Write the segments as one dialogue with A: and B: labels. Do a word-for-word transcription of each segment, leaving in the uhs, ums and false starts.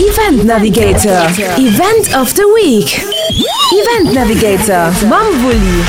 A: Event Navigator, Event of the Week. Event Navigator mam Wulli.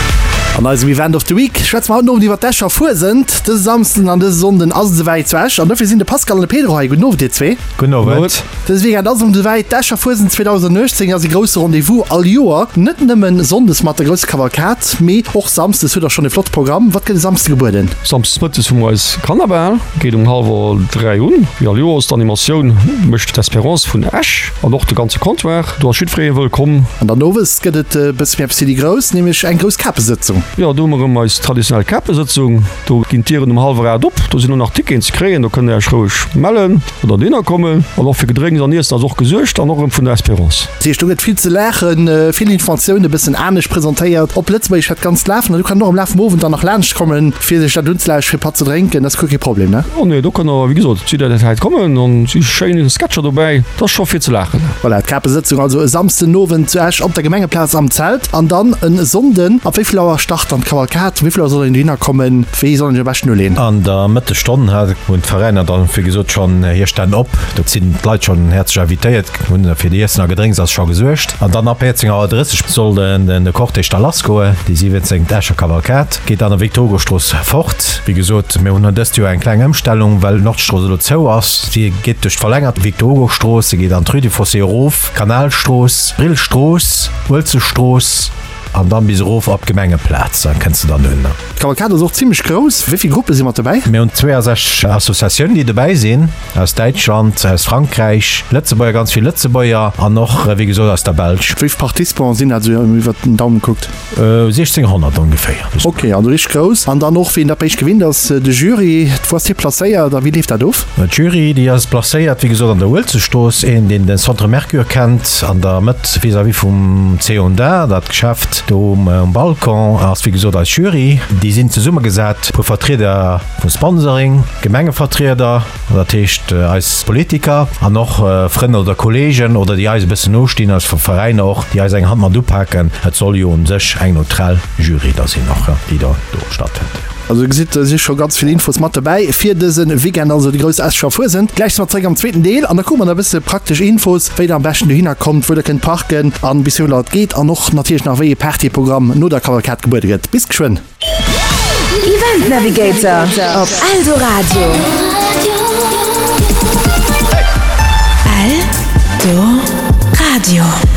B: An eisem Event of the Week schwätze mer haut den Owend iwwer d'Escher Fuesent. Dëse Samsden an dëse Sonnden ass et esouwäit zu Esch an dofir sinn de Pascal an de Pedro hei. Gudden Owend dir zwee.
C: Gudden Owend.
B: Dëse Weekend ass et erëm esouwäit. D'Escher Fuesent zweedausenduechtzéng ass e grousse Rendez-vous all Joer. Net nëmmen Sonndes mat der grousser Kavalkad, mee och Samsdes hutt der schonn e flotte Programm. Wat gëtt e Samsde gebueden?
C: Samsdes mëttes hu mer eis Kannerbal, geet um hallwer dräi un. Wéi all Joers, d'Animatioun mécht d'Espérance vun Esch an och de ganze Comptoir. Do ass jiddweree wëllkomm.
B: An dann owes gëtt et e bësse méi eppes fir déi Grouss, nämlech eng grouss Kapesëtzung.
C: Jo, do hu mer erëm eis traditionell Kapesëtzung. Do ginn d'Dieren um hallwer aacht op. Do sinn och nach Ticketen ze kréien. Do kënnt der Iech roueg mellen oder dohinner kommen. An och fir Gedrénks an Iessen ass och gesuergt an och erëm vun der Espérance.
B: Dat heescht, do gëtt vill ze laachen, vill Informatioune, bëssen anescht presentéiert. Op Lëtzebuergesch dat Ganzt lafen. An do kann een och am Laf vum Owend dann nach laanscht kommen, fir sech dat unzelauschteren, fir e Patt ze drénken. Dat ass guer kee Problem, ne?
C: Oh nee, do kënnt der, wéi gesot, zu der Zäit kommen an et si schéin Sketcher dobäi. Dat ass scho fir ze laachen.
B: Voilà, d'Kapesëtzung also e Samsdenowend zu Esch op der Gemengeplaz am Zelt. An dann e Sonnden, ab wéi vill Auer start dann d'Kavalkad? Wéi vill Auer soll een dohinner kommen? Wéi soll een sech am beschten uleeën?
D: An der Mëttesstonn hunn d'Veräiner dann, wéi gesot, schonn hir Stänn op. Do sinn d'Leit schonn häerzlech invitéiert, hunn fir d'Iessen a Gedrénks ass scho gesuergt. An dann ab véierzéng Auer drësseg soll de Cortège da lassgoen. Déi siwwenzéngt Escher Kavalkad geet an der Victor-Hugo-Strooss fort. Wéi gesot, mir hunn dëst Joer eng kleng Ëmstellung, well d'Nordstrooss elo zou ass. Si geet duerch d'verlängert Victor-Hugo-Strooss, se geet an d'Rue du Fossé erof, Kanalstrooss, Brillstrooss, Uelzechtstrooss an dann bis erof op d'Gemengeplaz. Da kënns de dann un.
B: D'Kavalkad ass och zimmlech grouss. Wéi vill Gruppe si mat dobäi?
D: Mir hunn zweeasechzeg Associatiounen, déi dobäi sinn, aus Däitschland, aus Frankräich, Lëtzebuerger, ganz vill Lëtzebuerger an och, wéi gesot, aus der Belsch.
B: Wéi vill Participants sinn dat esou iwwert den Daumen gekuckt?
D: siechzénghonnert ongeféier.
B: Ok, also richteg grouss. An dann och, wéi een dat bei iech gewinnt ass, de Jury. Wou ass dee placéiert a wéi leeft dat of?
D: D'Jury, déi ass placéiert, wéi gesot, an der Uelzechtstrooss. Een, deen den Centre Mercure kennt, an der Mëtt vis-à-vis vum C und A, dat Geschäft do um Balcon, ass, wéi gesot, eis Jury. Déi sinn zesummegesat vu Vertrieder vum Sponsoring, Gemengevertrieder, dat heescht eis Politiker, an och Frënn oder Kollegen oder déi eis e bëssen nostinn, aus Veräiner och, déi eis eng Hand mat upaken. Et soll jo un sech eng neutral Jury da sinn och, déi da do stattfënnt.
B: Also gesitt, do si scho ganz vill Infos mat dobäi fir dëse Weekend, also déi grouss Escher Fuesent. Gläich si mer zeréck am zweeten Deel an da kucke mer nach e bësse praktesch Infos, wéi der am beschten dohinner kommt, wou der kënnt parken an bis wéi vill Auer et geet an och natierlech nach wéi ee Partyprogramm no der Kavalkad gebuede gëtt. Bis geschwënn!
A: Event Navigator op Eldoradio. Eldoradio.